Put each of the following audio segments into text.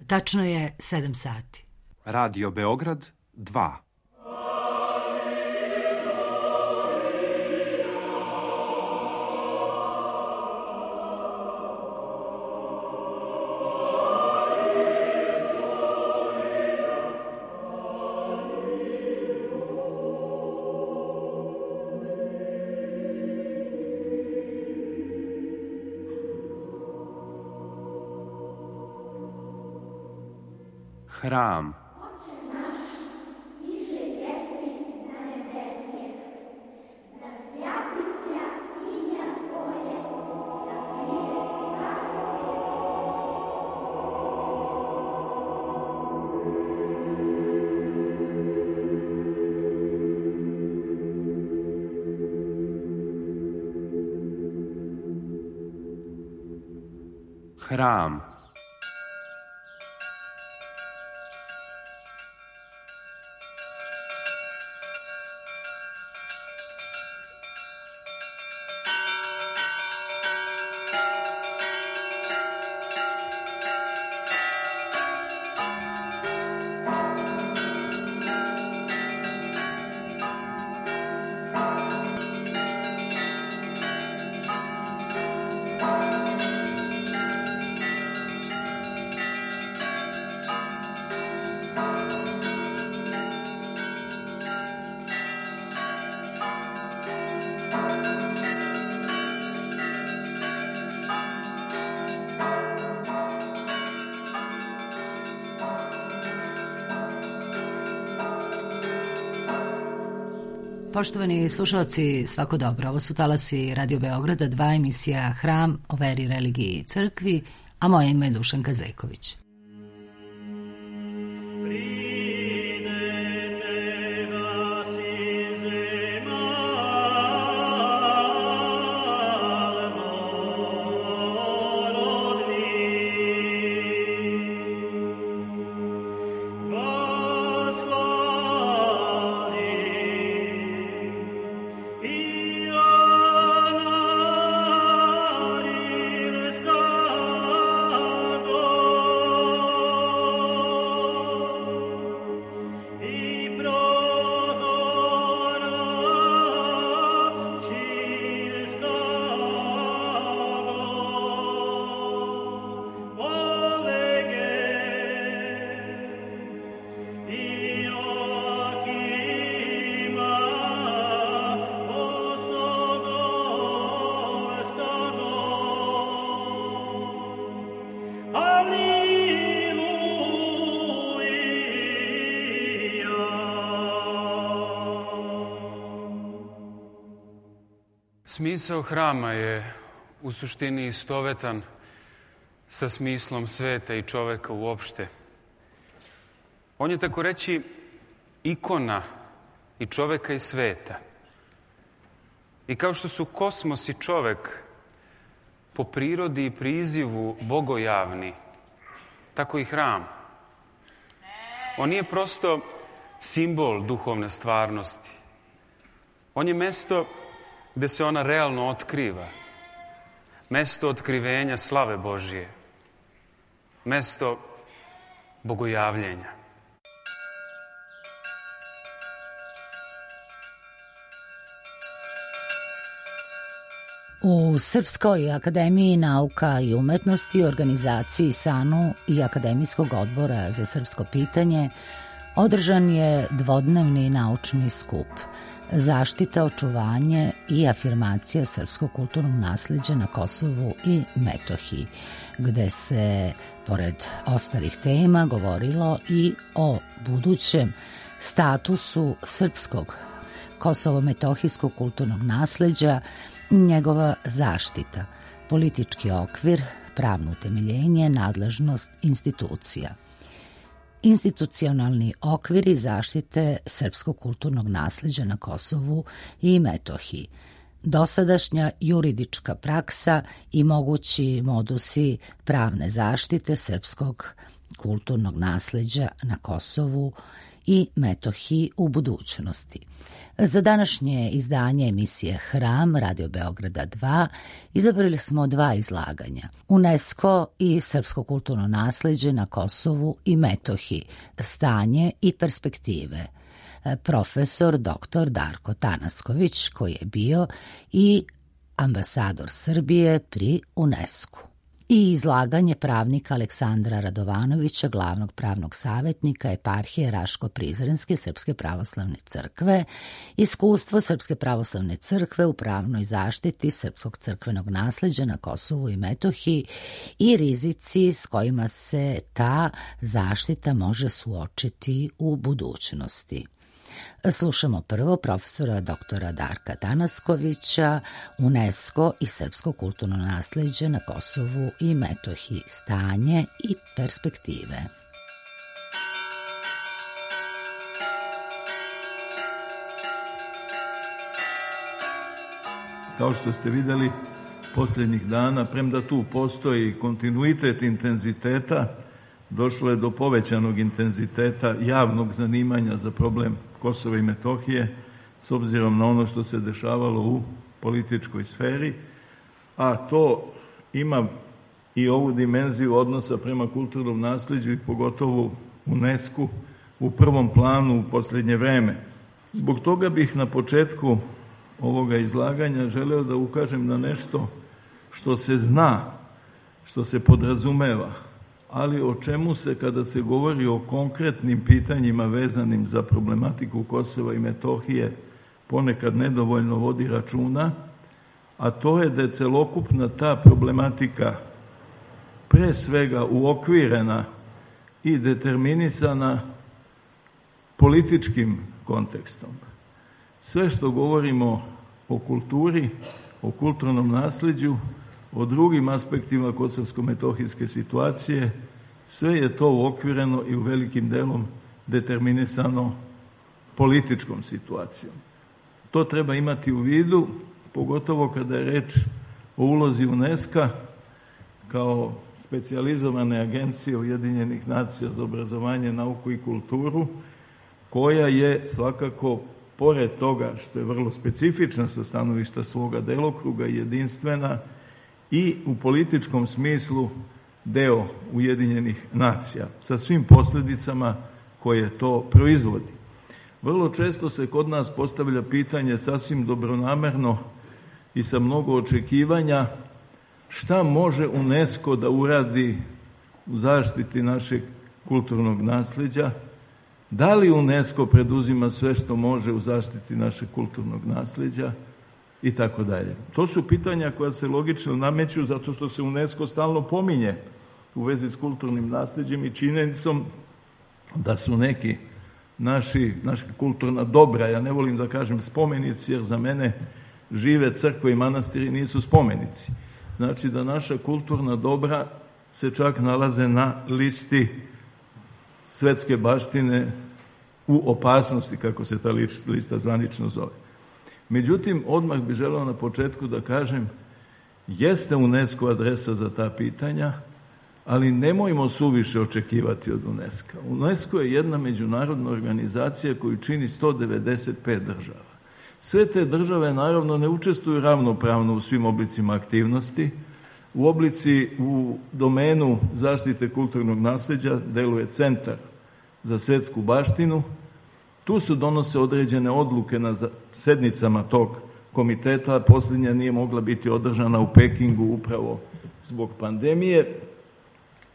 Tačno je 7 sati. Radio Beograd 2. Hram. Hram. Poštovani slušalci, svako dobro. Ovo su talasi Radio Beograda 2, emisija Hram o veri, religiji i crkvi, a moje ime je Dušanka Zejković. Smisao hrama je u suštini istovetan sa smislom sveta i čoveka uopšte. On je, tako reći, ikona i čoveka i sveta. I kao što su kosmos i čovek po prirodi i prizivu bogojavni, tako i hram. On nije prosto simbol duhovne stvarnosti. On je mesto gde se ona realno otkriva. Mesto otkrivenja slave Božije. Mesto bogojavljenja. U Srpskoj akademiji nauka i umetnosti, organizaciji SANU i Akademijskog odbora za srpsko pitanje održan je dvodnevni naučni skup Zaštita, očuvanje i afirmacija srpskog kulturnog nasleđa na Kosovu i Metohiji, gde se, pored ostalih tema, govorilo i o budućem statusu srpskog kosovo-metohijskog kulturnog nasleđa, njegova zaštita, politički okvir, pravno utemeljenje, nadležnost institucija. Institucionalni okviri zaštite srpskog kulturnog nasleđa na Kosovu i Metohiji, dosadašnja juridička praksa i mogući modusi pravne zaštite srpskog kulturnog nasleđa na Kosovu i Metohiji u budućnosti. Za današnje izdanje emisije Hram Radio Beograda 2 izabrali smo 2 izlaganja. UNESCO i srpsko kulturno nasleđe na Kosovu i Metohiji, stanje i perspektive. Profesor dr. Darko Tanasković, koji je bio i ambasador Srbije pri UNESCO. I izlaganje pravnika Aleksandra Radovanovića, glavnog pravnog savjetnika eparhije Raško-Prizrenske Srpske pravoslavne crkve, iskustvo Srpske pravoslavne crkve u pravnoj zaštiti srpskog crkvenog nasleđa na Kosovu i Metohiji i rizici s kojima se ta zaštita može suočiti u budućnosti. Slušamo prvo profesora doktora Darka Tanaskovića, UNESCO i srpsko kulturno nasleđe na Kosovu i Metohiji, stanje i perspektive. Kao što ste vidjeli posljednjih dana, premda tu postoji kontinuitet intenziteta, došlo je do povećanog intenziteta javnog zanimanja za problem Kosova i Metohije, s obzirom na ono što se dešavalo u političkoj sferi, a to ima i ovu dimenziju odnosa prema kulturnom nasleđu i pogotovo UNESCO u prvom planu u posljednje vreme. Zbog toga bih na početku ovoga izlaganja želeo da ukažem na nešto što se zna, što se podrazumeva, ali o čemu se kada se govori o konkretnim pitanjima vezanim za problematiku Kosova i Metohije ponekad nedovoljno vodi računa, a to je da je celokupna ta problematika pre svega uokvirena i determinisana političkim kontekstom. Sve što govorimo o kulturi, o kulturnom nasleđu, o drugim aspektima kosovsko-metohijske situacije, sve je to uokvireno i u velikim delom determinisano političkom situacijom. To treba imati u vidu, pogotovo kada je reč o ulozi UNESCO kao specijalizovane agencije Ujedinjenih nacija za obrazovanje, nauku i kulturu, koja je svakako, pored toga što je vrlo specifična sa stanovišta svoga delokruga i jedinstvena, i u političkom smislu deo Ujedinjenih nacija, sa svim posljedicama koje to proizvodi. Vrlo često se kod nas postavlja pitanje sasvim dobronamerno i sa mnogo očekivanja šta može UNESCO da uradi u zaštiti našeg kulturnog nasleđa, da li UNESCO preduzima sve što može u zaštiti našeg kulturnog nasleđa i tako dalje. To su pitanja koja se logično nameću zato što se UNESCO stalno pominje u vezi s kulturnim nasleđem i činjenicom da su neki naša kulturna dobra, ja ne volim da kažem spomenici, jer za mene žive crkve i manastiri nisu spomenici. Znači da naša kulturna dobra se čak nalaze na listi svetske baštine u opasnosti, kako se ta lista zvanično zove. Međutim, odmah bih želeo na početku da kažem, jeste UNESCO adresa za ta pitanja, ali nemojmo suviše očekivati od UNESCO. UNESCO je jedna međunarodna organizacija koju čini 195 država. Sve te države naravno ne učestvuju ravnopravno u svim oblicima aktivnosti. U domenu zaštite kulturnog nasleđa deluje Centar za svetsku baštinu. Tu se donose određene odluke na sednicama tog komiteta. Posljednja nije mogla biti održana u Pekingu upravo zbog pandemije.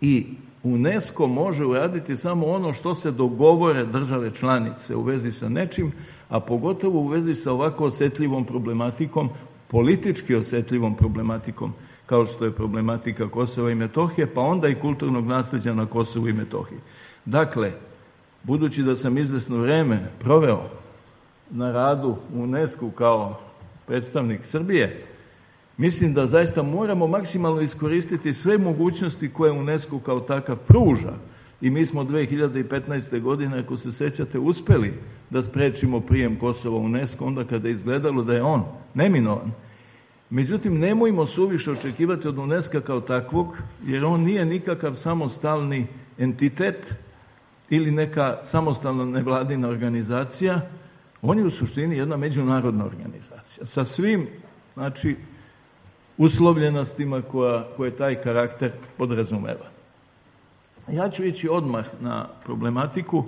I UNESCO može uraditi samo ono što se dogovore države članice u vezi sa nečim, a pogotovo u vezi sa ovako osjetljivom problematikom, politički osjetljivom problematikom, kao što je problematika Kosova i Metohije, pa onda i kulturnog nasleđa na Kosovu i Metohiji. Dakle, budući da sam izvesno vreme proveo na radu u UNESCO kao predstavnik Srbije, mislim da zaista moramo maksimalno iskoristiti sve mogućnosti koje UNESCO kao takav pruža. I mi smo 2015. godine, ako se sećate, uspeli da sprečimo prijem Kosova u UNESCO, onda kada je izgledalo da je on neminovan. Međutim, nemojmo suviše očekivati od UNESCO kao takvog, jer on nije nikakav samostalni entitet ili neka samostalna nevladina organizacija, on je u suštini jedna međunarodna organizacija sa svim, znači, uslovljenostima koje taj karakter podrazumeva. Ja ću ići odmah na problematiku,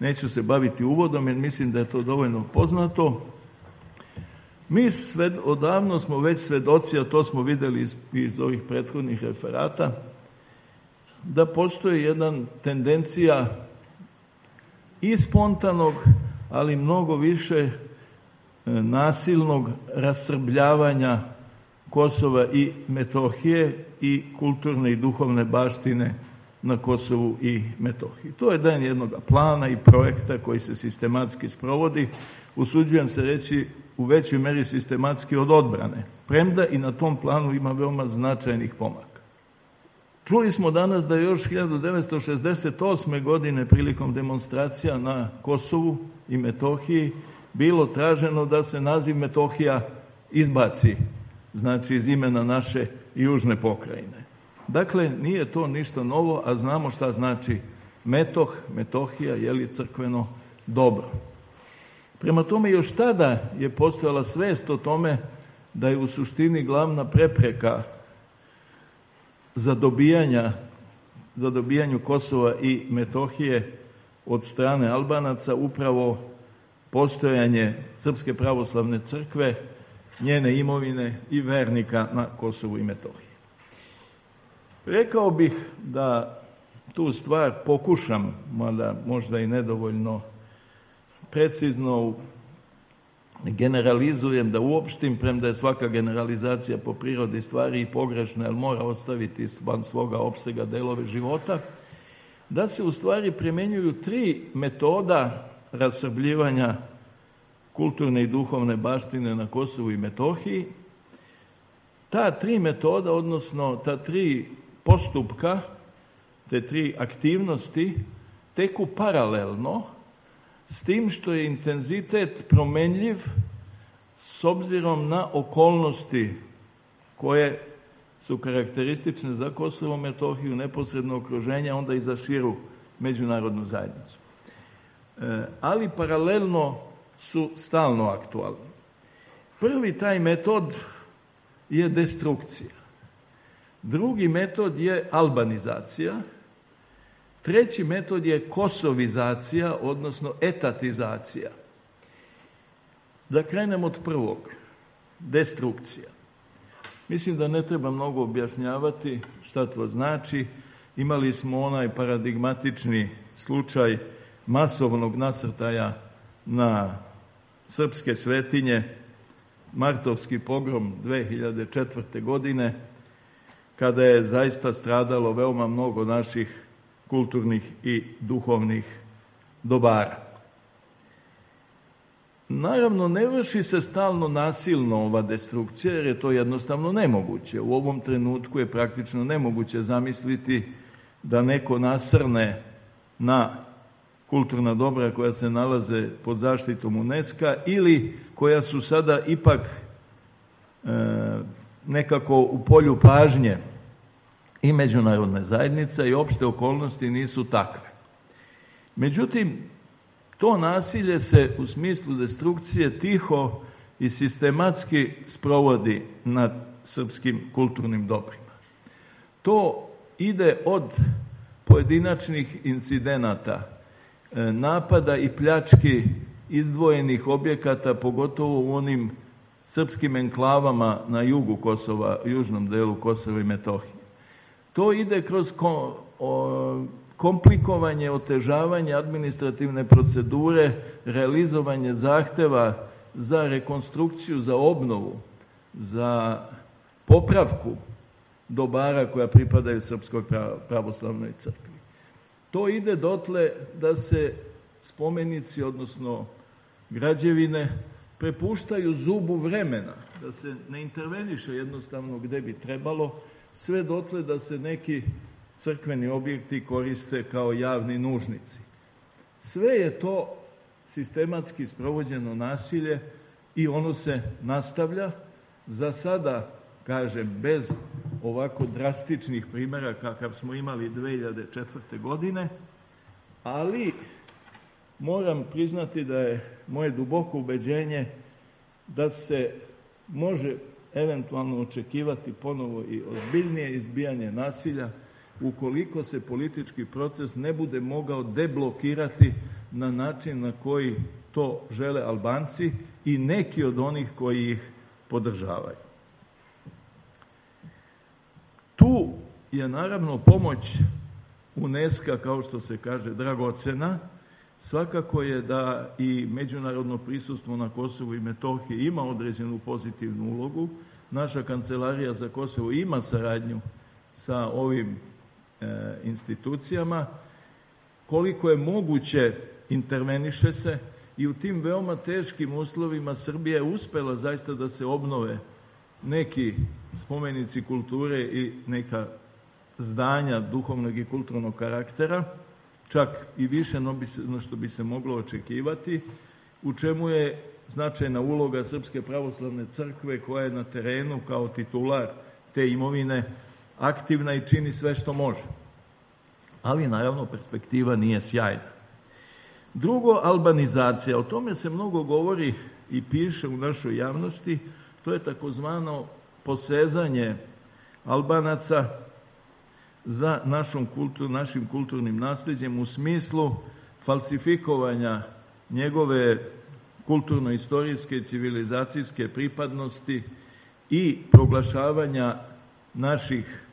neću se baviti uvodom jer mislim da je to dovoljno poznato. Mi odavno smo već svedoci, a to smo vidjeli iz ovih prethodnih referata, da postoji jedna tendencija i spontanog, ali mnogo više nasilnog rasrbljavanja Kosova i Metohije i kulturne i duhovne baštine na Kosovu i Metohiji. To je dan jednog plana i projekta koji se sistematski sprovodi, usuđujem se reći u većoj meri sistematski od odbrane, premda i na tom planu ima veoma značajnih pomaka. Čuli smo danas da je još 1968. godine prilikom demonstracija na Kosovu i Metohiji bilo traženo da se naziv Metohija izbaci, znači iz imena naše južne pokrajine. Dakle, nije to ništa novo, a znamo šta znači Metohija, je crkveno dobro. Prema tome, još tada je postojala svest o tome da je u suštini glavna prepreka za dobijanju Kosova i Metohije od strane Albanaca upravo postojanje Srpske pravoslavne crkve, njene imovine i vernika na Kosovu i Metohiji. Rekao bih da tu stvar pokušam, mada možda i nedovoljno precizno generalizujem, da uopštim, premda je svaka generalizacija po prirodi stvari i pogrešna, jer mora ostaviti van svoga opsega delove života, da se u stvari primjenjuju 3 metoda rasrbljivanja kulturne i duhovne baštine na Kosovu i Metohiji. Ta 3 metoda, odnosno ta 3 postupka, te 3 aktivnosti teku paralelno, s tim što je intenzitet promenljiv s obzirom na okolnosti koje su karakteristične za Kosovo i Metohiju, neposredno okruženje, onda i za širu međunarodnu zajednicu. Ali paralelno su stalno aktualni. Prvi taj metod je destrukcija. Drugi metod je albanizacija. Treći metod je kosovizacija, odnosno etatizacija. Da krenem od prvog, destrukcija. Mislim da ne treba mnogo objašnjavati šta to znači. Imali smo onaj paradigmatični slučaj masovnog nasrtaja na srpske svetinje, martovski pogrom 2004. godine, kada je zaista stradalo veoma mnogo naših kulturnih i duhovnih dobara. Naravno, ne vrši se stalno nasilno ova destrukcija, jer je to jednostavno nemoguće. U ovom trenutku je praktično nemoguće zamisliti da neko nasrne na kulturna dobra koja se nalaze pod zaštitom UNESCO-a ili koja su sada ipak nekako u polju pažnje i međunarodne zajednice i opšte okolnosti nisu takve. Međutim, to nasilje se u smislu destrukcije tiho i sistematski sprovodi nad srpskim kulturnim dobrima. To ide od pojedinačnih incidenata, napada i pljački izdvojenih objekata, pogotovo u onim srpskim enklavama na jugu Kosova, južnom delu Kosova i Metohije. To ide kroz komplikovanje, otežavanje administrativne procedure, realizovanje zahteva za rekonstrukciju, za obnovu, za popravku dobara koja pripadaju Srpskoj pravoslavnoj crkvi. To ide dotle da se spomenici, odnosno građevine, prepuštaju zubu vremena, da se ne interveniše jednostavno gde bi trebalo, sve dotle da se neki crkveni objekti koriste kao javni nužnici. Sve je to sistematski sprovođeno nasilje i ono se nastavlja. Za sada, kažem, bez ovako drastičnih primjera kakav smo imali 2004. godine, ali moram priznati da je moje duboko ubeđenje da se može eventualno očekivati ponovo i ozbiljnije izbijanje nasilja ukoliko se politički proces ne bude mogao deblokirati na način na koji to žele Albanci i neki od onih koji ih podržavaju. Tu je naravno pomoć UNESCO, kao što se kaže, dragocena. Svakako je da i međunarodno prisustvo na Kosovu i Metohiji ima određenu pozitivnu ulogu. Naša kancelarija za Kosovo ima saradnju sa ovim institucijama. Koliko je moguće interveniše se i u tim veoma teškim uslovima Srbija je uspela zaista da se obnove neki spomenici kulture i neka zdanja duhovnog i kulturnog karaktera, čak i više no što bi se moglo očekivati, u čemu je značajna uloga Srpske pravoslavne crkve koja je na terenu kao titular te imovine aktivna i čini sve što može. Ali naravno perspektiva nije sjajna. Drugo, albanizacija. O tome se mnogo govori i piše u našoj javnosti. To je takozvano posezanje Albanaca za našim kulturnim nasljeđem u smislu falsifikovanja njegove kulturno-istorijske i civilizacijske pripadnosti i proglašavanja naših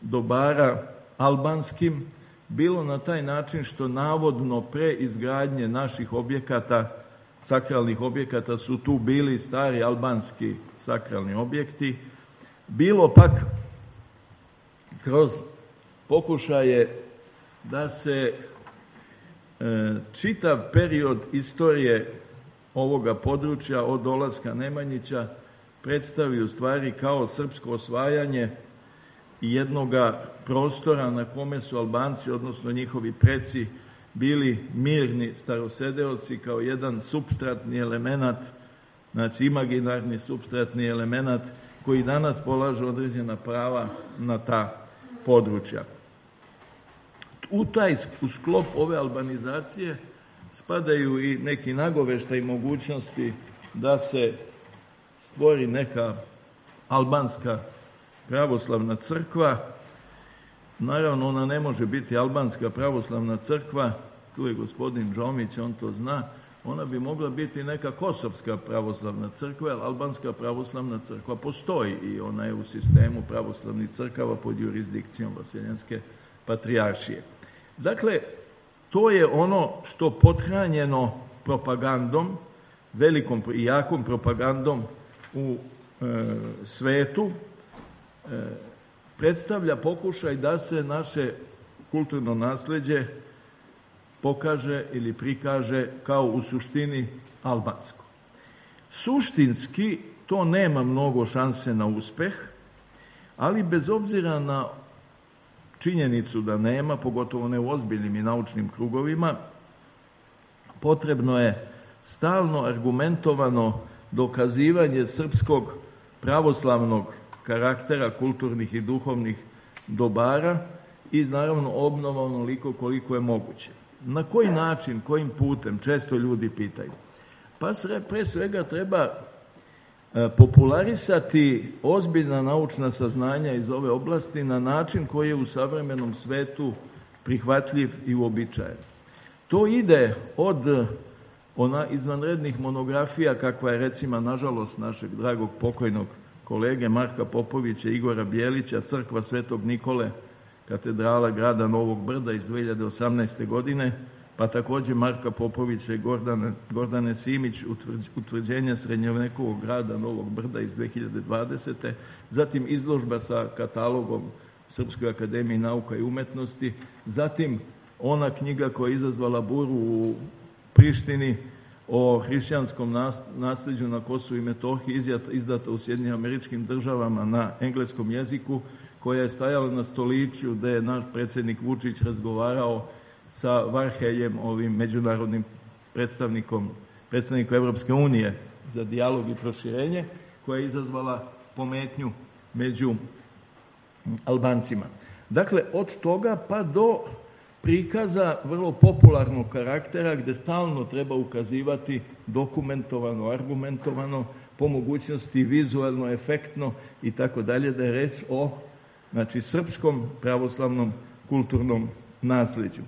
dobara albanskim, bilo na taj način što navodno pre izgradnje naših objekata, sakralnih objekata, su tu bili stari albanski sakralni objekti, bilo pak kroz pokušaje da se čitav period istorije ovoga područja od dolaska Nemanjića predstavi u stvari kao srpsko osvajanje jednoga prostora na kome su Albanci, odnosno njihovi preci, bili mirni starosedeoci kao jedan supstratni element, znači imaginarni supstratni element koji danas polaže određena prava na ta područja. U sklop ove albanizacije spadaju i neki nagoveštaj mogućnosti da se stvori neka albanska pravoslavna crkva. Naravno, ona ne može biti albanska pravoslavna crkva, tu je gospodin Džomić, on to zna, ona bi mogla biti neka kosovska pravoslavna crkva, jer albanska pravoslavna crkva postoji i ona je u sistemu pravoslavnih crkava pod jurisdikcijom Vaseljenske patrijaršije. Dakle, to je ono što pothranjeno propagandom, velikom i jakom propagandom u svetu, predstavlja pokušaj da se naše kulturno nasleđe pokaže ili prikaže kao u suštini albansko. Suštinski to nema mnogo šanse na uspeh, ali bez obzira na činjenicu da nema, pogotovo ne u ozbiljnim i naučnim krugovima, potrebno je stalno argumentovano dokazivanje srpskog pravoslavnog karaktera kulturnih i duhovnih dobara i naravno obnova onoliko koliko je moguće. Na koji način, kojim putem, često ljudi pitaju. Pa pre svega treba popularisati ozbiljna naučna saznanja iz ove oblasti na način koji je u savremenom svetu prihvatljiv i uobičajen. To ide od izvanrednih monografija kakva je recimo nažalost našeg dragog pokojnog kolege Marka Popovića i Igora Bijelića, Crkva Svetog Nikole, katedrala grada Novog Brda iz 2018. godine, pa također Marka Popovića i Gordane Simić, utvrđenje srednjovekovog grada Novog Brda iz 2020. Zatim izložba sa katalogom Srpskoj akademiji nauka i umetnosti, zatim ona knjiga koja je izazvala buru u Prištini o hrišćanskom nasljeđu na Kosovu i Metohiji, izdata u Sjedinjenim Američkim Državama na engleskom jeziku, koja je stajala na stoličju gde je naš predsjednik Vučić razgovarao sa Varheljem, ovim međunarodnim predstavnikom Evropske unije za dijalog i proširenje, koja je izazvala pometnju među Albancima. Dakle, od toga pa do prikaza vrlo popularnog karaktera gdje stalno treba ukazivati dokumentovano, argumentovano, po mogućnosti vizualno, efektno i tako dalje, da je reč o srpskom pravoslavnom kulturnom naslijeđu.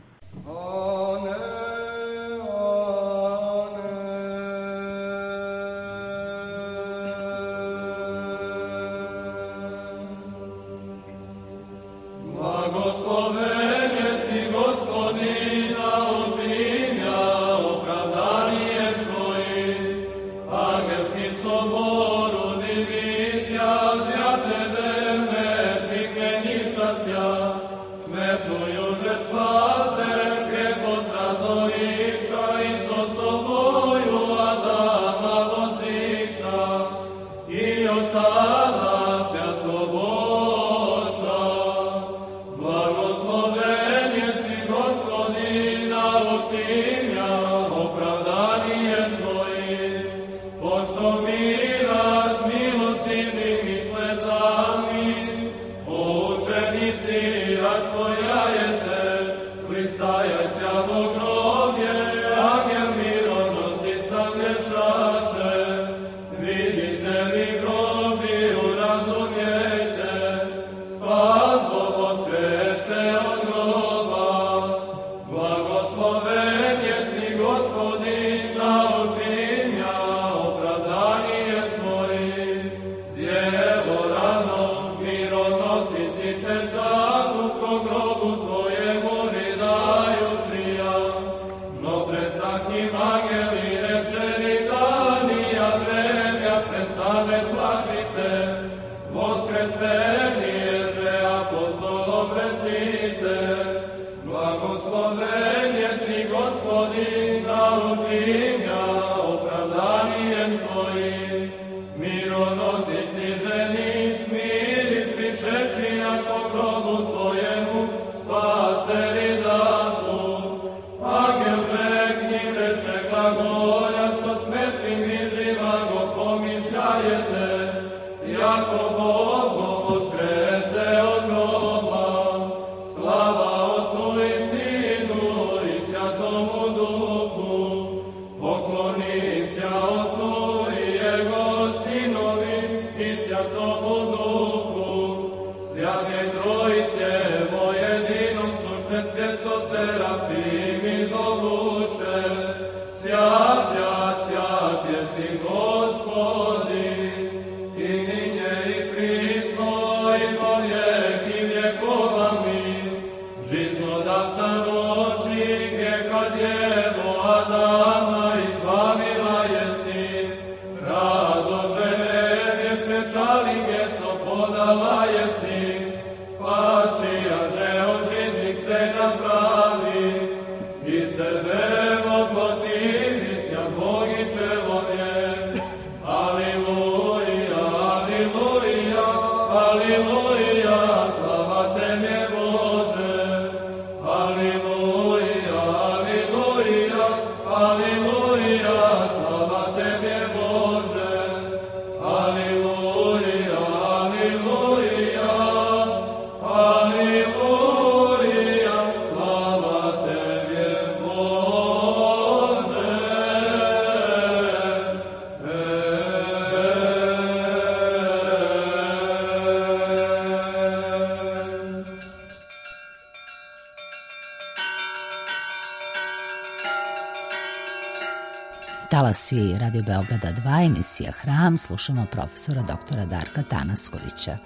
Talasi Radio Beograda 2, emisija Hram, slušamo profesora doktora Darka Tanaskovića.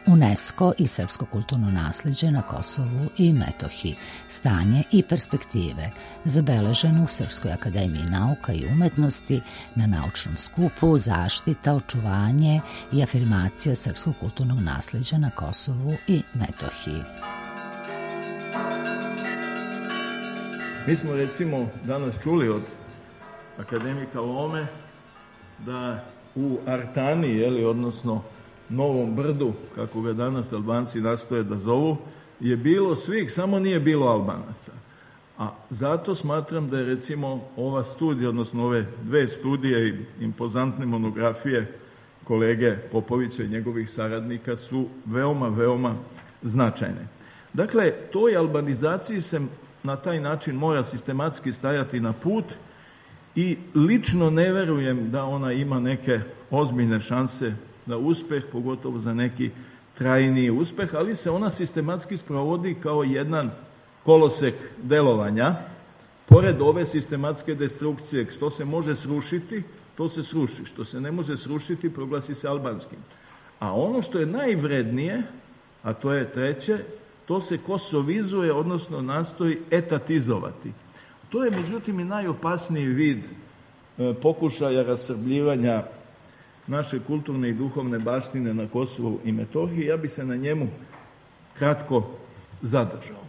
UNESCO i srpsko kulturno naslijeđe na Kosovu i Metohiji, stanje i perspektive, zabeleženo u Srpskoj akademiji nauka i umetnosti na naučnom skupu Zaštita, očuvanje i afirmacija srpskog kulturnog naslijeđa na Kosovu i Metohiji. Mi smo recimo danas čuli od akademika Lome da u Artani, odnosno Novom Brdu, kako ga danas Albanci nastoje da zovu, je bilo svih, samo nije bilo Albanaca. A zato smatram da je recimo ova studija, odnosno ove dve studije i impozantne monografije kolege Popovića i njegovih saradnika su veoma, veoma značajne. Dakle, toj albanizaciji se na taj način mora sistematski stajati na put i lično ne verujem da ona ima neke ozbiljne šanse za uspeh, pogotovo za neki trajniji uspeh, ali se ona sistematski sprovodi kao jedan kolosek delovanja. Pored ove sistematske destrukcije, što se može srušiti, to se sruši. Što se ne može srušiti, proglasi se albanskim. A ono što je najvrednije, a to je treće, to se kosovizuje, odnosno nastoji etatizovati. To je, međutim, i najopasniji vid pokušaja rasrbljivanja naše kulturne i duhovne baštine na Kosovu i Metohiji. Ja bi se na njemu kratko zadržao.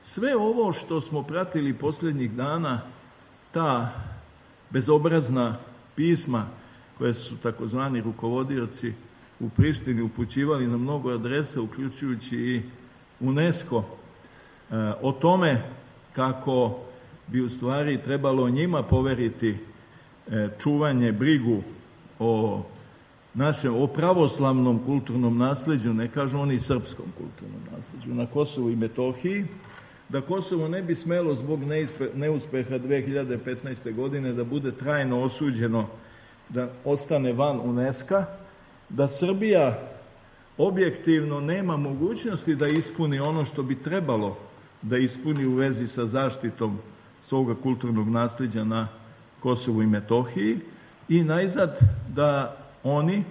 Sve ovo što smo pratili posljednjih dana, ta bezobrazna pisma koje su takozvani rukovodioci u Prištini upućivali na mnogo adresa, uključujući i UNESCO, o tome kako bi u stvari trebalo njima poveriti čuvanje, brigu o pravoslavnom kulturnom nasleđu, ne kažu oni srpskom kulturnom nasleđu, na Kosovu i Metohiji, da Kosovo ne bi smelo zbog neuspeha 2015. godine da bude trajno osuđeno, da ostane van UNESCO-a, da Srbija objektivno nema mogućnosti da ispuni ono što bi trebalo da ispuni u vezi sa zaštitom svoga kulturnog nasleđa na Kosovu i Metohiji i najzad da oni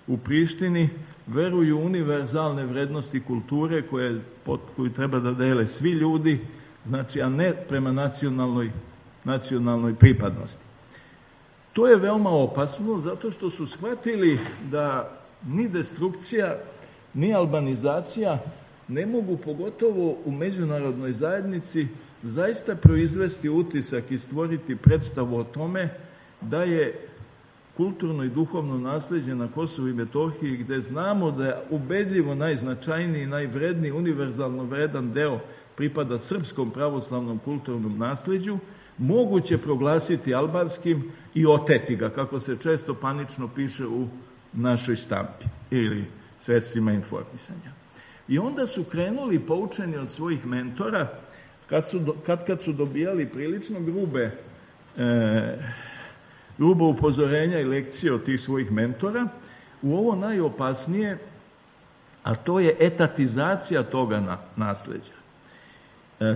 u Prištini veruju univerzalne vrednosti kulture koju treba da dele svi ljudi, znači, a ne prema nacionalnoj pripadnosti. To je veoma opasno zato što su shvatili da ni destrukcija, ni albanizacija ne mogu, pogotovo u međunarodnoj zajednici, zaista proizvesti utisak i stvoriti predstavu o tome da je kulturno i duhovno nasleđe na Kosovu i Metohiji, gde znamo da je ubedljivo najznačajniji, najvredniji, univerzalno vredan deo pripada srpskom pravoslavnom kulturnom nasleđu, moguće proglasiti albanskim i oteti ga, kako se često panično piše u našoj štampi ili sredstvima informisanja. I onda su krenuli, poučeni od svojih mentora, kad su dobijali prilično grubo upozorenja i lekcije od tih svojih mentora, u ovo najopasnije, a to je etatizacija toga nasleđa.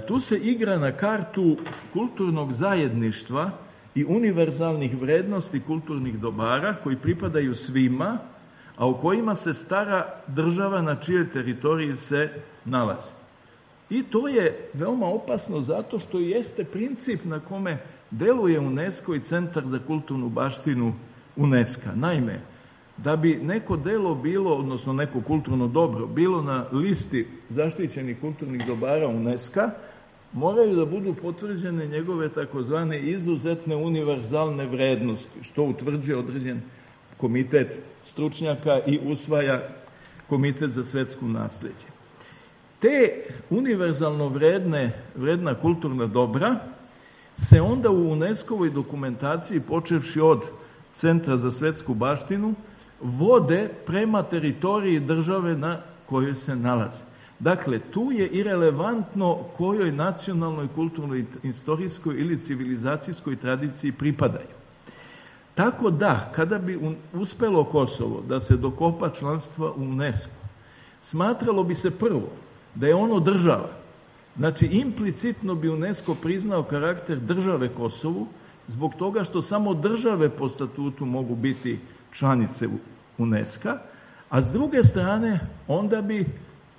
Tu se igra na kartu kulturnog zajedništva i univerzalnih vrednosti kulturnih dobara koji pripadaju svima, a u kojima se stara država na čijoj teritoriji se nalazi. I to je veoma opasno zato što jeste princip na kome deluje UNESCO i Centar za kulturnu baštinu UNESCO. Naime, da bi neko delo bilo, odnosno neko kulturno dobro, bilo na listi zaštićenih kulturnih dobara UNESCO, moraju da budu potvrđene njegove takozvane izuzetne univerzalne vrednosti, što utvrđuje određen komitet stručnjaka i usvaja Komitet za svetsko nasleđe. Te univerzalno vredna kulturna dobra se onda u UNESCO-voj dokumentaciji, počevši od Centra za svetsku baštinu, vode prema teritoriji države na kojoj se nalaze. Dakle, tu je irelevantno kojoj nacionalnoj, kulturnoj, istorijskoj ili civilizacijskoj tradiciji pripadaju. Tako da, kada bi uspelo Kosovo da se dokopa članstva u UNESCO, smatralo bi se prvo da je ono država. Znači, implicitno bi UNESCO priznao karakter države Kosovu zbog toga što samo države po statutu mogu biti članice UNESCO-a, a s druge strane onda bi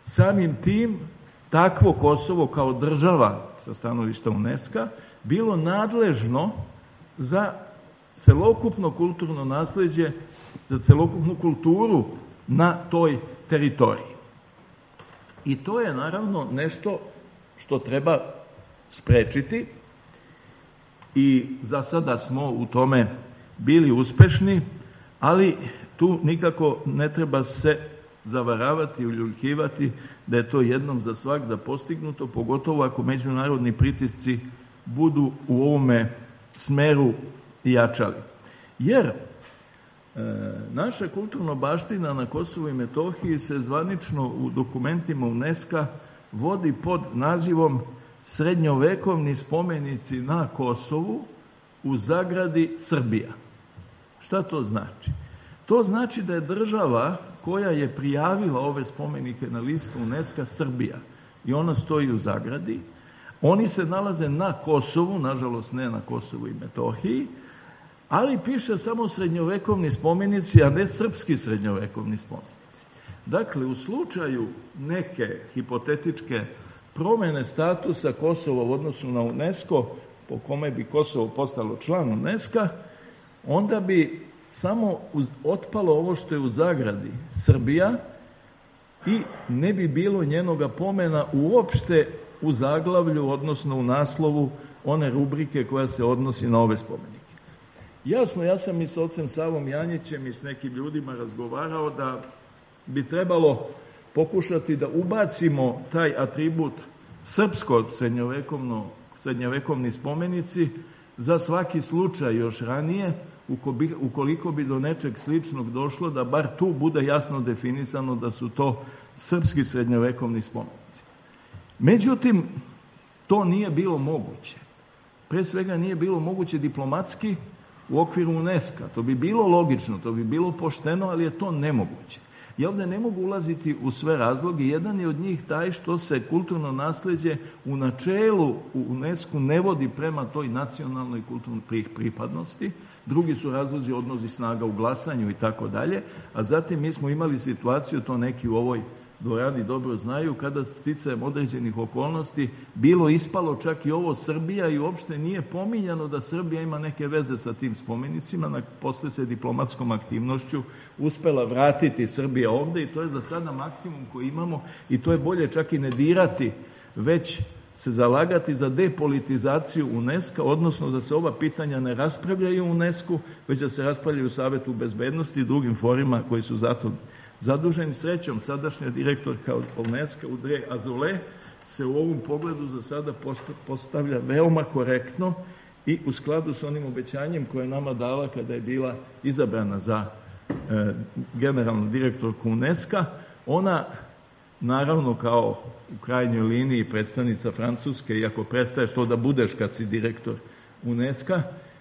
samim tim takvo Kosovo kao država sa stanovišta UNESCO-a bilo nadležno za celokupno kulturno nasleđe, za celokupnu kulturu na toj teritoriji. I to je naravno nešto što treba sprečiti i za sada smo u tome bili uspešni, ali tu nikako ne treba se zavaravati i uljuljkivati da je to jednom za svagda postignuto, pogotovo ako međunarodni pritisci budu u ovome smeru jačali. Jer naša kulturna baština na Kosovu i Metohiji se zvanično u dokumentima UNESCO-a vodi pod nazivom srednjovekovni spomenici na Kosovu u zagradi Srbija. Šta to znači? To znači da je država koja je prijavila ove spomenike na listu UNESCO Srbija i ona stoji u zagradi. Oni se nalaze na Kosovu, nažalost ne na Kosovu i Metohiji, ali piše samo srednjovekovni spomenici, a ne srpski srednjovekovni spomenici. Dakle, u slučaju neke hipotetičke promjene statusa Kosova u odnosu na UNESCO, po kome bi Kosovo postalo član UNESCO, onda bi samo otpalo ovo što je u zagradi Srbija i ne bi bilo njenoga pomena uopšte u zaglavlju, odnosno u naslovu one rubrike koja se odnosi na ove spomenike. Jasno, ja sam i s ocem Savom Janjićem i s nekim ljudima razgovarao da bi trebalo pokušati da ubacimo taj atribut srpsko srednjovekovni spomenici za svaki slučaj još ranije, ukoliko bi do nečeg sličnog došlo, da bar tu bude jasno definisano da su to srpski srednjovekovni spomenici. Međutim, to nije bilo moguće. Pre svega nije bilo moguće diplomatski u okviru UNESCO. To bi bilo logično, to bi bilo pošteno, ali je to nemoguće. Ja ovdje ne mogu ulaziti u sve razloge. Jedan je od njih taj što se kulturno nasleđe u načelu u UNESCO ne vodi prema toj nacionalnoj kulturnoj pripadnosti. Drugi su razlozi odnosi snaga u glasanju i tako dalje. A zatim mi smo imali situaciju, to neki u ovoj dvorani dobro znaju, kada sticajem određenih okolnosti bilo ispalo čak i ovo Srbija i uopšte nije pominjano da Srbija ima neke veze sa tim spomenicima. Posle se diplomatskom aktivnošću uspela vratiti Srbija ovde i to je za sada maksimum koji imamo i to je bolje čak i ne dirati, već se zalagati za depolitizaciju UNESCO, odnosno da se ova pitanja ne raspravljaju u UNESCO, već da se raspravljaju u Savetu bezbednosti i drugim forima koji su zato zaduženi. Srećom, sadašnja direktorka UNESCO Audrey Azoulay se u ovom pogledu za sada postavlja veoma korektno i u skladu s onim obećanjem koje je nama dala kada je bila izabrana za generalnu direktorku UNESCO. Ona, naravno, kao u krajnjoj liniji predstavnica Francuske, iako prestaješ to da budeš kad si direktor UNESCO,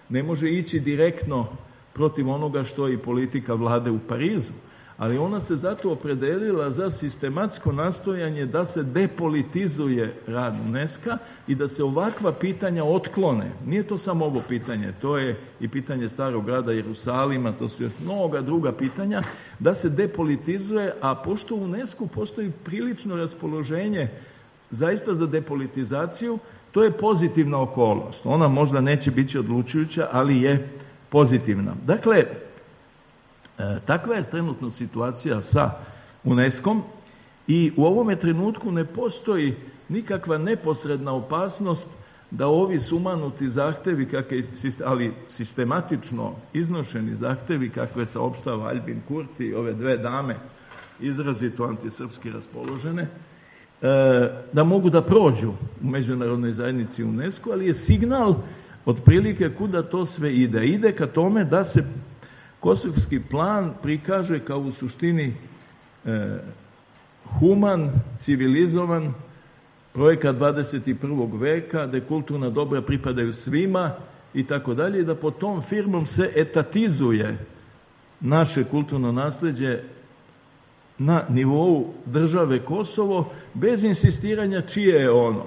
ne može ići direktno protiv onoga što je i politika vlade u Parizu, ali ona se zato opredelila za sistematsko nastojanje da se depolitizuje rad UNESCO i da se ovakva pitanja otklone. Nije to samo ovo pitanje, to je i pitanje Starog grada Jerusalima, to su još mnoga druga pitanja, da se depolitizuje, a pošto u UNESCO postoji prilično raspoloženje zaista za depolitizaciju, to je pozitivna okolnost. Ona možda neće biti odlučujuća, ali je pozitivna. Dakle, takva je trenutno situacija sa UNESCO-om i u ovome trenutku ne postoji nikakva neposredna opasnost da ovi sumanuti zahtevi, ali sistematično iznošeni zahtevi kakve saopštava Albin Kurti i ove dve dame izrazito antisrpski raspoložene, da mogu da prođu u međunarodnoj zajednici UNESCO, ali je signal otprilike kuda to sve ide. Ide ka tome da se kosovski plan prikaže kao u suštini human, civilizovan projekat 21. veka, da kulturna dobra pripadaju svima i tako dalje, i da pod tom firmom se etatizuje naše kulturno nasleđe na nivou države Kosovo, bez insistiranja čije je ono.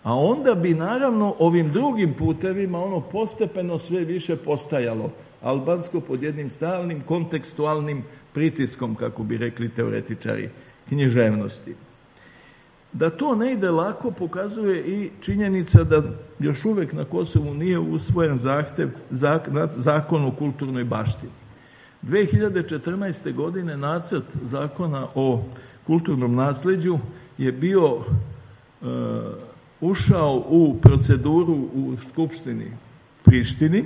A onda bi naravno ovim drugim putevima ono postepeno sve više postajalo albansko pod jednim stalnim kontekstualnim pritiskom, kako bi rekli teoretičari književnosti. Da to ne ide lako pokazuje i činjenica da još uvek na Kosovu nije usvojen zakon o kulturnoj baštini. 2014. godine nacrt zakona o kulturnom nasleđu je bio ušao u proceduru u Skupštini Prištini,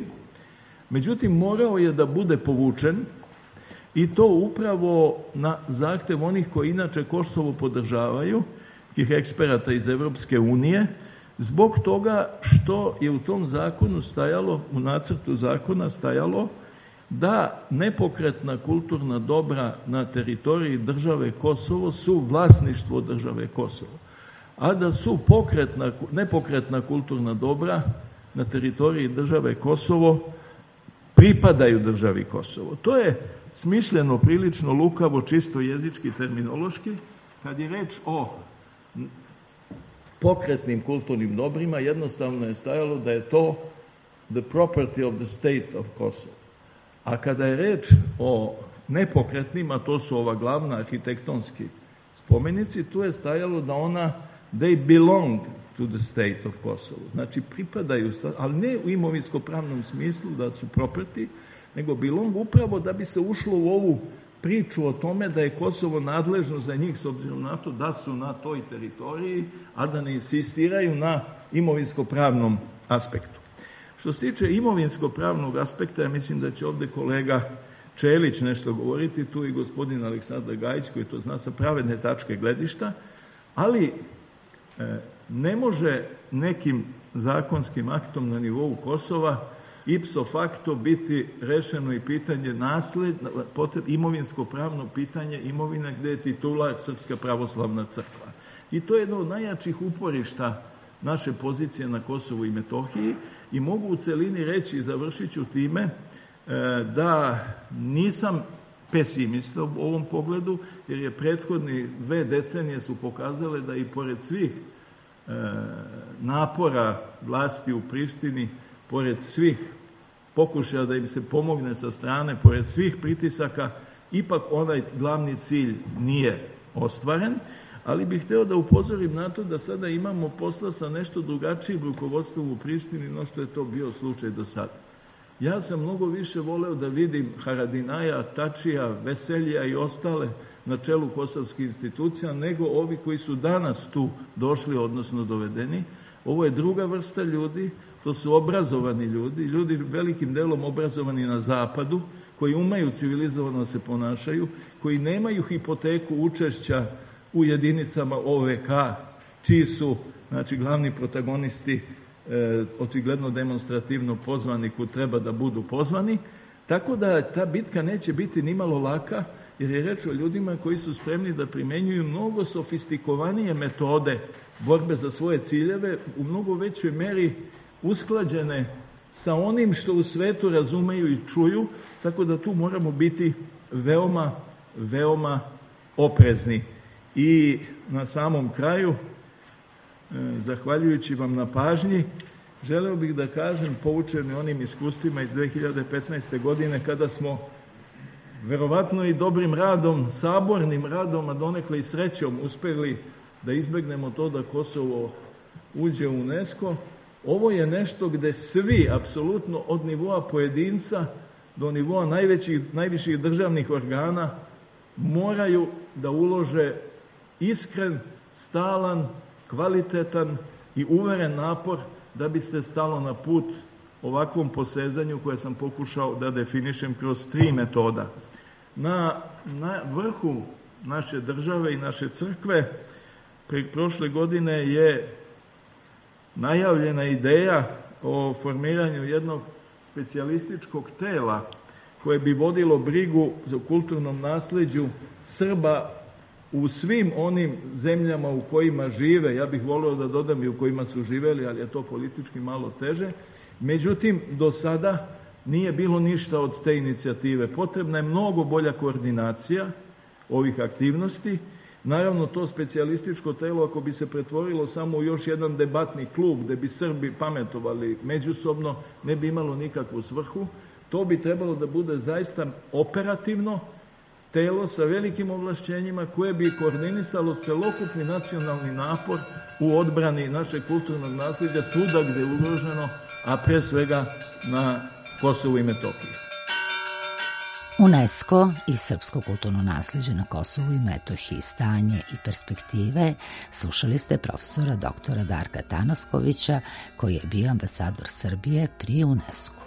međutim morao je da bude povučen i to upravo na zahtev onih koji inače Kosovo podržavaju, tih eksperata iz Evropske unije, zbog toga što je u tom zakonu stajalo, u nacrtu zakona stajalo da nepokretna kulturna dobra na teritoriji države Kosovo su vlasništvo države Kosovo. a da su nepokretna kulturna dobra na teritoriji države Kosovo pripadaju državi Kosovo. To je smišljeno prilično lukavo, čisto jezički, terminološki. Kad je reč o pokretnim kulturnim dobrima, jednostavno je stajalo da je to the property of the state of Kosovo. A kada je reč o nepokretnim, a to su ova glavna arhitektonski spomenici, tu je stajalo da they belong to the state of Kosovo. Znači pripadaju, ali ne u imovinsko-pravnom smislu da su property, nego belong upravo da bi se ušlo u ovu priču o tome da je Kosovo nadležno za njih s obzirom na to da su na toj teritoriji, a da ne insistiraju na imovinsko-pravnom aspektu. Što se tiče imovinsko-pravnog aspekta, ja mislim da će ovde kolega Čelić nešto govoriti, tu i gospodin Aleksandar Gajić koji to zna sa pravedne tačke gledišta, ali ne može nekim zakonskim aktom na nivou Kosova ipso facto biti rešeno i pitanje imovinsko-pravno pitanje imovine gde je titular Srpska pravoslavna crkva. I to je jedno od najjačih uporišta naše pozicije na Kosovu i Metohiji i mogu u celini reći, i završit ću time, da nisam pesimista u ovom pogledu, jer je prethodni 2 decenije su pokazale da i pored svih napora vlasti u Prištini, pored svih pokušaja da im se pomogne sa strane, pored svih pritisaka, ipak onaj glavni cilj nije ostvaren, ali bih hteo da upozorim na to da sada imamo posla sa nešto drugačijim rukovodstvom u Prištini no što je to bio slučaj do sada. Ja sam mnogo više voleo da vidim Haradinaja, Tačija, Veseljija i ostale na čelu kosovskih institucija, nego ovi koji su danas tu došli, odnosno dovedeni. Ovo je druga vrsta ljudi, to su obrazovani ljudi velikim delom obrazovani na zapadu, koji umeju civilizovano se ponašaju, koji nemaju hipoteku učešća u jedinicama OVK, čiji su, znači, glavni protagonisti očigledno demonstrativno pozvani kud treba da budu pozvani, tako da ta bitka neće biti nimalo laka, jer je reč o ljudima koji su spremni da primenjuju mnogo sofistikovanije metode borbe za svoje ciljeve, u mnogo većoj meri usklađene sa onim što u svetu razumeju i čuju, tako da tu moramo biti veoma, veoma oprezni. I na samom kraju, zahvaljujući vam na pažnji, želeo bih da kažem, poučeni onim iskustvima iz 2015. godine, kada smo verovatno i dobrim radom, sabornim radom, a donekle i srećom uspeli da izbegnemo to da Kosovo uđe u UNESCO, ovo je nešto gde svi, apsolutno od nivoa pojedinca do nivoa najviših državnih organa, moraju da ulože iskren, stalan, kvalitetan i uveren napor da bi se stalo na put ovakvom posezanju koje sam pokušao da definišem kroz 3 metoda. Na vrhu naše države i naše crkve prošle godine je najavljena ideja o formiranju jednog specijalističkog tela koje bi vodilo brigu za kulturnom nasleđu Srba u svim onim zemljama u kojima žive, ja bih voleo da dodam i u kojima su živeli, ali je to politički malo teže. Međutim, do sada nije bilo ništa od te inicijative. Potrebna je mnogo bolja koordinacija ovih aktivnosti. Naravno, to specijalističko telo, ako bi se pretvorilo samo u još jedan debatni klub gde bi Srbi pametovali međusobno, ne bi imalo nikakvu svrhu. To bi trebalo da bude zaista operativno telo sa velikim ovlašćenjima koje bi koordinisalo celokupni nacionalni napor u odbrani našeg kulturnog nasleđa svuda gde je ugroženo, a pre svega na Kosovu i Metohiji. UNESCO i srpsko kulturno nasleđe na Kosovu i Metohiji, stanje i perspektive, slušali ste profesora doktora Darka Tanaskovića, koji je bio ambasador Srbije pri UNESCO.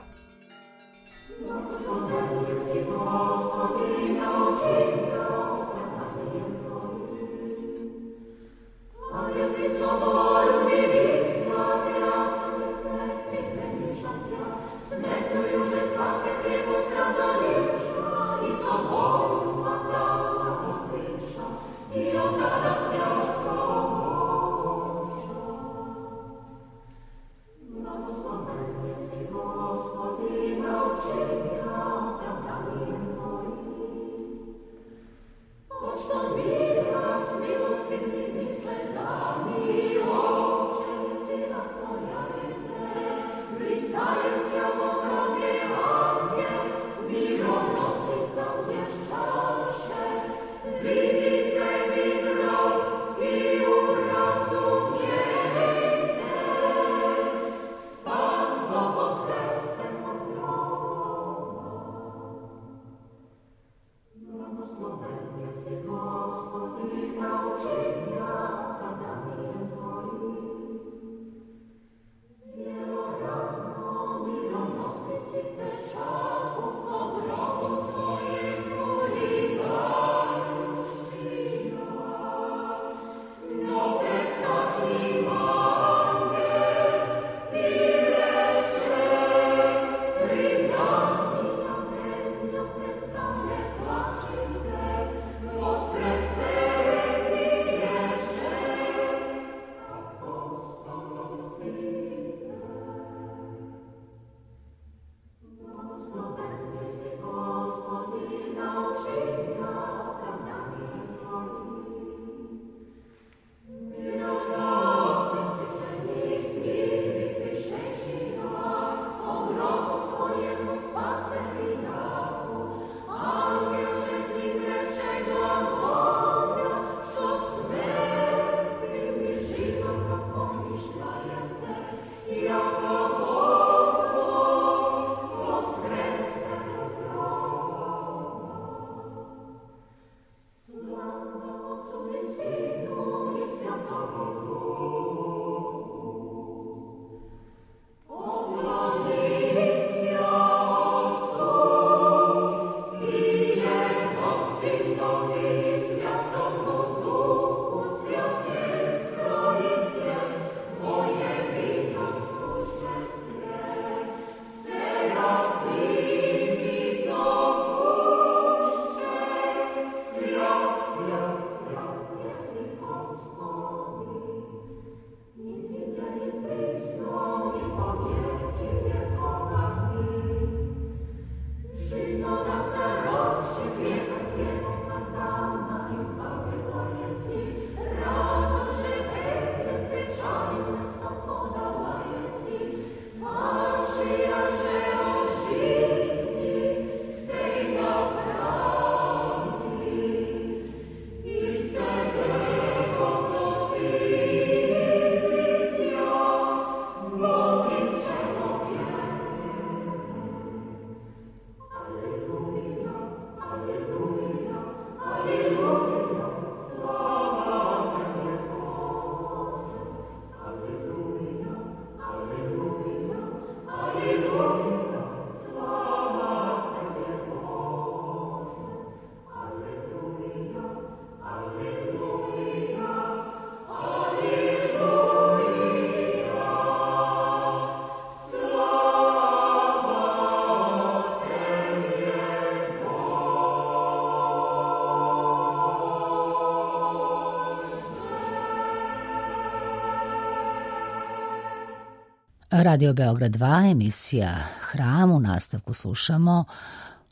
Radio Beograd 2, emisija Hram. U nastavku slušamo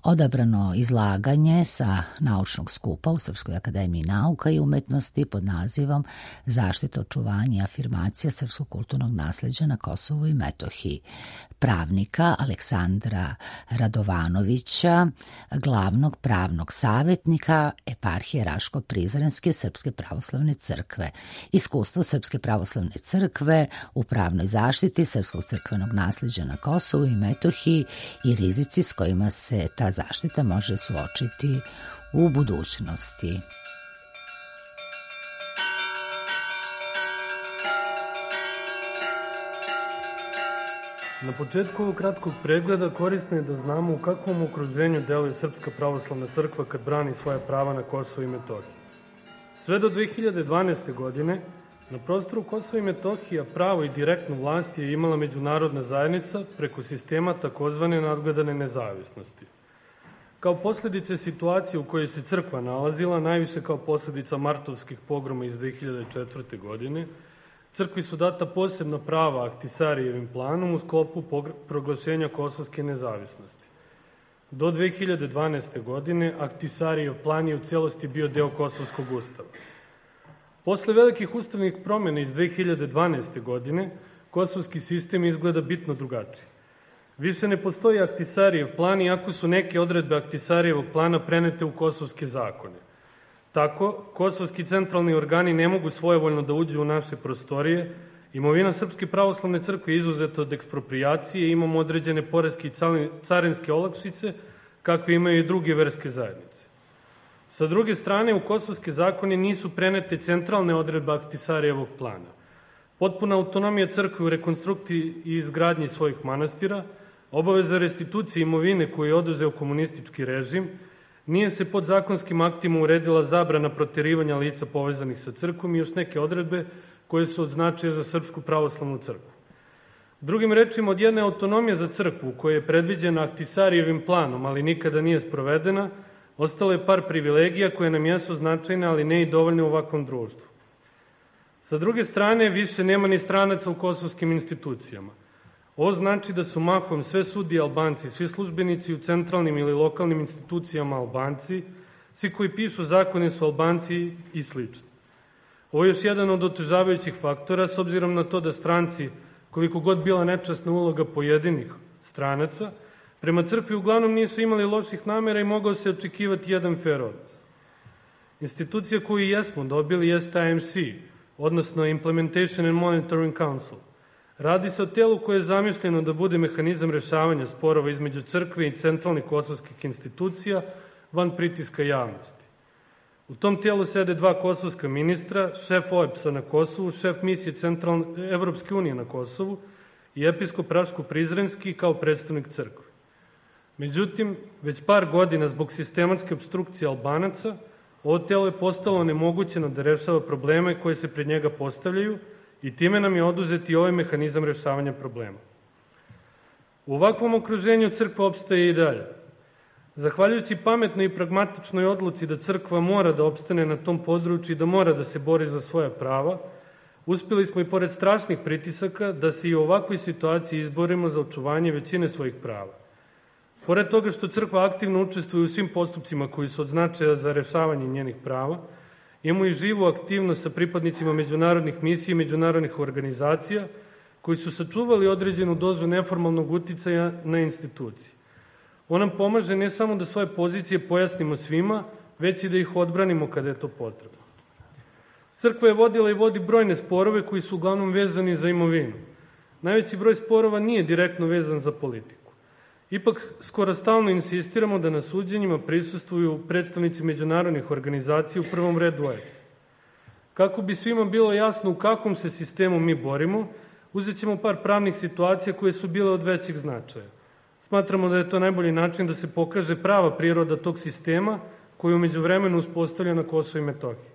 odabrano izlaganje sa naučnog skupa u Srpskoj akademiji nauka i umetnosti pod nazivom Zaštita, očuvanje i afirmacija srpskog kulturnog nasleđa na Kosovu i Metohiji pravnika Aleksandra Radovanovića, glavnog pravnog savjetnika Eparhije Raško-Prizrenske Srpske pravoslavne crkve. Iskustvo Srpske pravoslavne crkve u pravnoj zaštiti srpskog crkvenog nasleđa na Kosovu i Metohiji i rizici s kojima se ta zaštita može suočiti u budućnosti. Na početku ovog kratkog pregleda korisno je da znamo u kakvom okruženju deluje Srpska pravoslavna crkva kad brani svoja prava na Kosovu i Metohiji. Sve do 2012. godine na prostoru Kosova i Metohija pravo i direktnu vlast je imala međunarodna zajednica preko sistema takozvane nadgledane nezavisnosti. Kao posljedice situacije u kojoj se crkva nalazila, najviše kao posljedica martovskih pogroma iz 2004. godine, crkvi su data posebna prava Ahtisarijevim planom u sklopu proglašenja kosovske nezavisnosti. Do 2012. godine Ahtisarijev plan je u cijelosti bio deo Kosovskog ustava. Posle velikih ustavnih promjena iz 2012. godine, kosovski sistem izgleda bitno drugačije. Više ne postoji Ahtisarijev plan, iako su neke odredbe Ahtisarijevog plana prenete u kosovske zakone. Tako, kosovski centralni organi ne mogu svojevoljno da uđu u naše prostorije, imovina Srpske pravoslavne crkve je izuzeta od eksproprijacije i imamo određene poreske i carinske olakšice, kakve imaju i druge verske zajednice. Sa druge strane, u kosovske zakone nisu prenete centralne odredbe Ahtisarijevog plana. Potpuna autonomija crkve u rekonstrukciji i izgradnji svojih manastira, obaveza restitucije imovine koju je oduzeo komunistički režim, nije se pod zakonskim aktima uredila zabrana proterivanja lica povezanih sa crkvom i još neke odredbe koje su od značaja za Srpsku pravoslavnu crkvu. Drugim rečima, od jedne autonomije za crkvu koja je predviđena Ahtisarijevim planom, ali nikada nije sprovedena, ostalo je par privilegija koje nam jesu značajne, ali ne i dovoljne u ovakvom društvu. Sa druge strane, više nema ni stranaca u kosovskim institucijama. Ovo znači da su mahom sve sudije Albanci, svi službenici u centralnim ili lokalnim institucijama Albanci, svi koji pišu zakone su Albanci i slično. Ovo je još jedan od otežavajućih faktora, s obzirom na to da stranci, koliko god bila nečasna uloga pojedinih stranaca, prema crkvi uglavnom nisu imali loših namera i mogao se očekivati jedan fair odnos. Institucija koju jesmo dobili jeste IMC, odnosno Implementation and Monitoring Council. Radi se o telu koje je zamišljeno da bude mehanizam rešavanja sporova između crkve i centralnih kosovskih institucija van pritiska javnosti. U tom tijelu sede dva kosovska ministra, šef OEBS-a na Kosovu, šef misije Evropske unije na Kosovu i episkop Raško-Prizrenski kao predstavnik crkve. Međutim, već par godina zbog sistematske obstrukcije Albanaca, ovo telo je postalo nemogućeno da rešava probleme koje se pred njega postavljaju i time nam je oduzet i ovaj mehanizam rešavanja problema. U ovakvom okruženju crkva opstaje i dalje. Zahvaljujući pametnoj i pragmatičnoj odluci da crkva mora da opstane na tom području i da mora da se bori za svoja prava, uspjeli smo i pored strašnih pritisaka da se i u ovakvoj situaciji izborimo za očuvanje većine svojih prava. Pored toga što crkva aktivno učestvuje u svim postupcima koji su od značaja za rešavanje njenih prava, imamo i živu aktivnost sa pripadnicima međunarodnih misija i međunarodnih organizacija koji su sačuvali određenu dozu neformalnog uticaja na institucije. On nam pomaže ne samo da svoje pozicije pojasnimo svima, već i da ih odbranimo kada je to potrebno. Crkva je vodila i vodi brojne sporove koji su uglavnom vezani za imovinu. Najveći broj sporova nije direktno vezan za politiku. Ipak skoro stalno insistiramo da na suđenjima prisustvuju predstavnici međunarodnih organizacija, u prvom redu OEBS. Kako bi svima bilo jasno u kakvom se sistemu mi borimo, uzet ćemo par pravnih situacija koje su bile od većeg značaja. Smatramo da je to najbolji način da se pokaže prava priroda tog sistema koji je umeđu vremenu uspostavlja na Kosovo i Metohiji.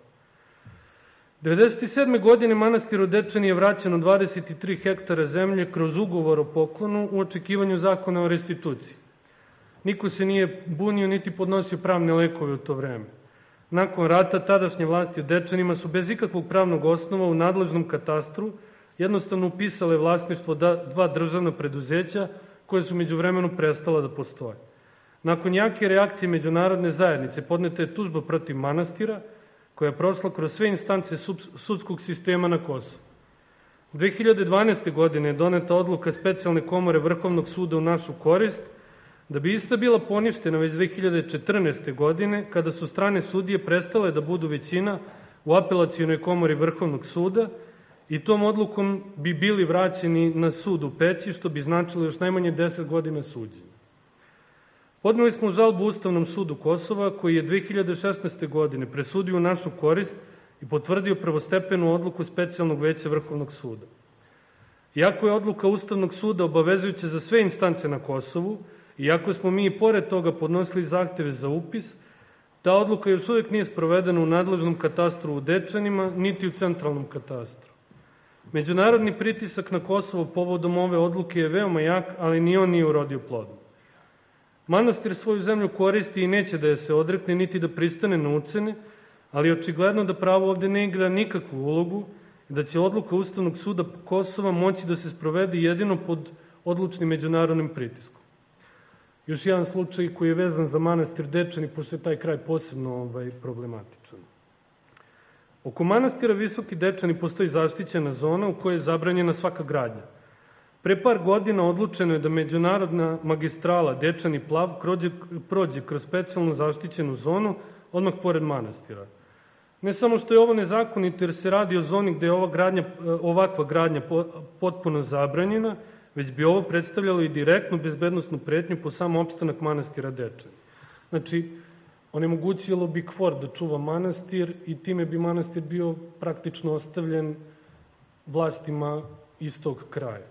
1997. godine manastiru Dečani je vraćeno 23 hektara zemlje kroz ugovor o poklonu u očekivanju zakona o restituciji. Niko se nije bunio niti podnosio pravne lekove u to vreme. Nakon rata tadašnje vlasti u Dečanima su bez ikakvog pravnog osnova u nadležnom katastru jednostavno upisale vlasništvo dva državna preduzeća koje su međuvremenu prestala da postoje. Nakon jake reakcije međunarodne zajednice podneta je tužba protiv manastira koja je prošla kroz sve instance sudskog sistema na Kosovu. 2012. godine je doneta odluka Specijalne komore Vrhovnog suda u našu korist, da bi ista bila poništena već 2014. godine, kada su strane sudije prestale da budu većina u Apelacionoj komori Vrhovnog suda i tom odlukom bi bili vraćeni na sud u Peći, što bi značilo još najmanje 10 godina suđenja. Podneli smo žalbu Ustavnom sudu Kosova, koji je 2016. godine presudio u našu korist i potvrdio prvostepenu odluku Specijalnog veća Vrhovnog suda. Iako je odluka Ustavnog suda obavezujuća za sve instance na Kosovu, iako smo mi i pored toga podnosili zahteve za upis, ta odluka još uvijek nije sprovedena u nadležnom katastru u Dečanima, niti u centralnom katastru. Međunarodni pritisak na Kosovo povodom ove odluke je veoma jak, ali ni on nije urodio plodom. Manastir svoju zemlju koristi i neće da je se odrekne, niti da pristane na ucene, ali očigledno da pravo ovde ne igra nikakvu ulogu i da će odluka Ustavnog suda Kosova moći da se sprovede jedino pod odlučnim međunarodnim pritiskom. Još jedan slučaj koji je vezan za manastir Dečani, pošto je taj kraj posebno problematičan. Oko manastira Visoki Dečani postoji zaštićena zona u kojoj je zabranjena svaka gradnja. Pre par godina odlučeno je da međunarodna magistrala Dečani Plav prođe kroz specijalnu zaštićenu zonu odmah pored manastira. Ne samo što je ovo nezakonito jer se radi o zoni gde je ovakva gradnja potpuno zabranjena, već bi ovo predstavljalo i direktnu bezbednostnu pretnju po samo opstanak manastira Dečani. Znači, onemogućilo bi KFOR da čuva manastir i time bi manastir bio praktično ostavljen vlastima iz tog kraja.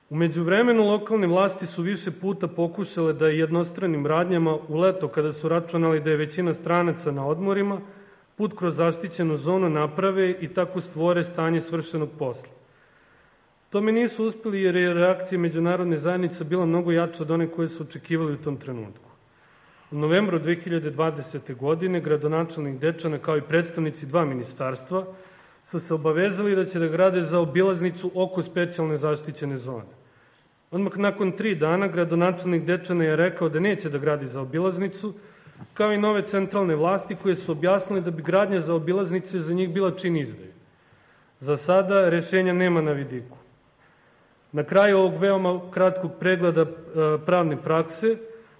U međuvremenu lokalne vlasti su više puta pokušale da jednostranim radnjama u leto, kada su računali da je većina stranaca na odmorima, put kroz zaštićenu zonu naprave i tako stvore stanje svršenog posla. Tome nisu uspeli jer je reakcija međunarodne zajednice bila mnogo jača od one koje su očekivali u tom trenutku. U novembru 2020. godine gradonačelnik Dečana kao i predstavnici dva ministarstva su se obavezali da će da grade zaobilaznicu oko specijalne zaštićene zone. Odmah nakon 3 dana gradonačelnik Dečana je rekao da neće da gradi zaobilaznicu, kao i nove centralne vlasti koje su objasnili da bi gradnja zaobilaznice za njih bila čin izdaje. Za sada rešenja nema na vidiku. Na kraju ovog veoma kratkog pregleda pravne prakse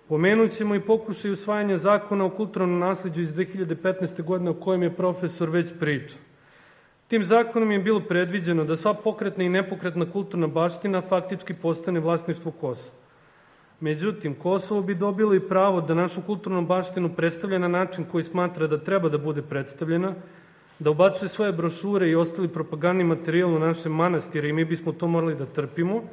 pomenut ćemo i pokušaj usvajanja zakona o kulturnom nasleđu iz 2015. godine o kojem je profesor već pričao. Tim zakonom je bilo predviđeno da sva pokretna i nepokretna kulturna baština faktički postane vlasništvo Kosova. Međutim, Kosovo bi dobilo i pravo da našu kulturnu baštinu predstavlja na način koji smatra da treba da bude predstavljena, da ubacuje svoje brošure i ostali propagandni materijal u naše manastire i mi bismo to morali da trpimo,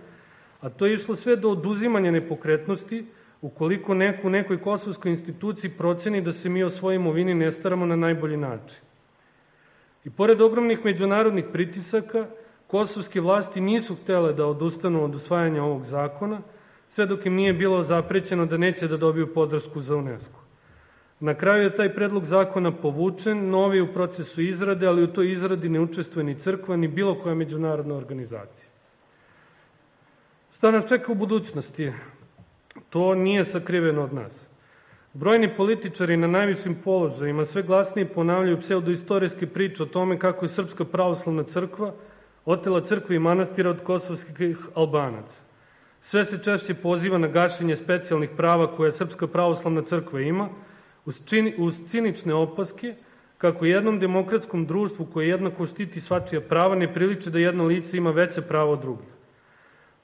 a to je išlo sve do oduzimanja nepokretnosti ukoliko neko u nekoj kosovskoj instituciji proceni da se mi o svojoj imovini ne staramo na najbolji način. I pored ogromnih međunarodnih pritisaka, kosovske vlasti nisu htele da odustanu od usvajanja ovog zakona, sve dok im nije bilo zaprećeno da neće da dobiju podršku za UNESCO. Na kraju je taj predlog zakona povučen, novi je u procesu izrade, ali u toj izradi ne učestvuje ni crkva, ni bilo koja međunarodna organizacija. Šta nas čeka u budućnosti? To nije sakriveno od nas. Brojni političari na najvišim položajima sve glasnije ponavljaju pseudoistorijske priče o tome kako je Srpska pravoslavna crkva otela crkve i manastira od kosovskih Albanaca. Sve se češće poziva na gašenje specijalnih prava koje Srpska pravoslavna crkva ima, uz cinične opaske kako jednom demokratskom društvu koje jednako štiti svačija prava ne priliči da jedno lice ima veće pravo od drugih.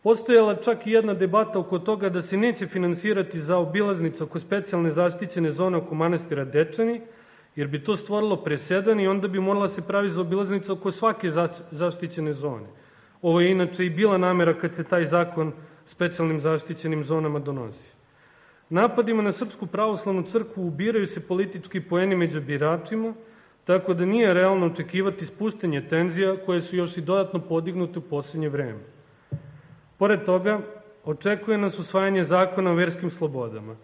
Postojala čak i jedna debata oko toga da se neće finansirati zaobilaznica oko specijalne zaštićene zone oko manastira Dečani, jer bi to stvorilo presedan i onda bi morala se pravi zaobilaznica oko svake zaštićene zone. Ovo je inače i bila namera kad se taj zakon specijalnim zaštićenim zonama donosi. Napadima na Srpsku pravoslavnu crkvu ubiraju se politički poeni među biračima, tako da nije realno očekivati spuštenje tenzija koje su još i dodatno podignute u posljednje vreme. Pored toga, očekuje nas usvajanje zakona o verskim slobodama.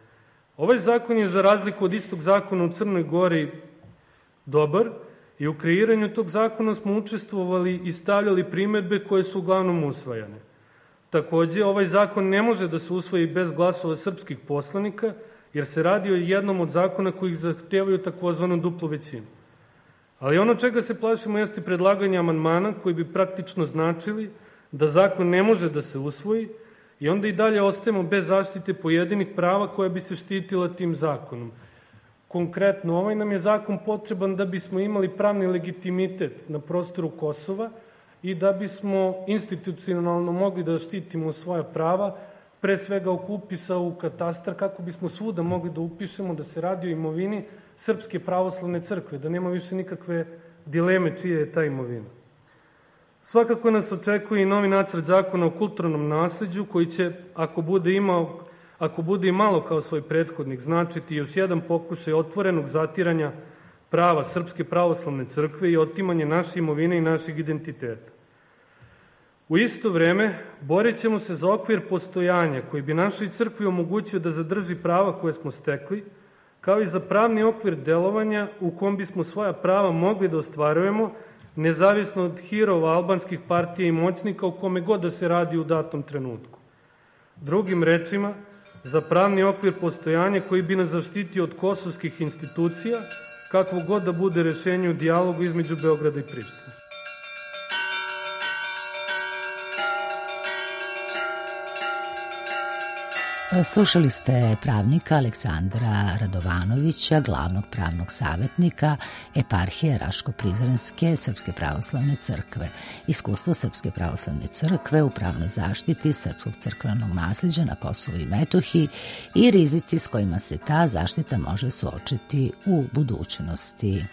Ovaj zakon je za razliku od istog zakona u Crnoj Gori dobar, i u kreiranju tog zakona smo učestvovali i stavljali primedbe koje su uglavnom usvajane. Takođe, ovaj zakon ne može da se usvoji bez glasova srpskih poslanika, jer se radi o jednom od zakona kojih zahtevaju takozvanu duplu većinu. Ali ono čega se plašimo jeste predlaganje amandmana koji bi praktično značili da zakon ne može da se usvoji i onda i dalje ostajemo bez zaštite pojedinih prava koja bi se štitila tim zakonom. Konkretno, ovaj nam je zakon potreban da bismo imali pravni legitimitet na prostoru Kosova i da bismo institucionalno mogli da štitimo svoja prava, pre svega oko upisa u katastar, kako bismo svuda mogli da upišemo da se radi o imovini Srpske pravoslavne crkve, da nema više nikakve dileme čija je ta imovina. Svakako nas očekuje i novi nacrt zakona o kulturnom nasleđu, koji će, ako bude imalo kao svoj prethodnik, značiti još jedan pokušaj otvorenog zatiranja prava Srpske pravoslavne crkve i otimanje naše imovine i našeg identiteta. U isto vreme, borit ćemo se za okvir postojanja koji bi našoj crkvi omogućio da zadrži prava koje smo stekli, kao i za pravni okvir delovanja u kom bismo svoja prava mogli da ostvarujemo, nezavisno od hirova albanskih partija i moćnika, o kome god da se radi u datom trenutku. Drugim rečima, za pravni okvir postojanja koji bi nas zaštitio od kosovskih institucija, kakvo god da bude rešenje u dijalogu između Beograda i Prištine. Slušali ste pravnika Aleksandra Radovanovića, glavnog pravnog savjetnika Eparhije Raško-Prizrenske Srpske pravoslavne crkve. Iskustvo Srpske pravoslavne crkve u pravnoj zaštiti srpskog crkvenog nasljeđa na Kosovu i Metohiji i rizici s kojima se ta zaštita može suočiti u budućnosti.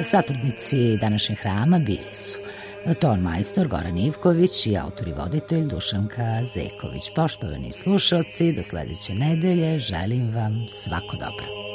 Satrudnici današnjeg hrama bili su ton majstor Goran Ivković i autor i voditelj Dušanka Zeković. Poštovani slušalci, do sledeće nedelje želim vam svako dobro.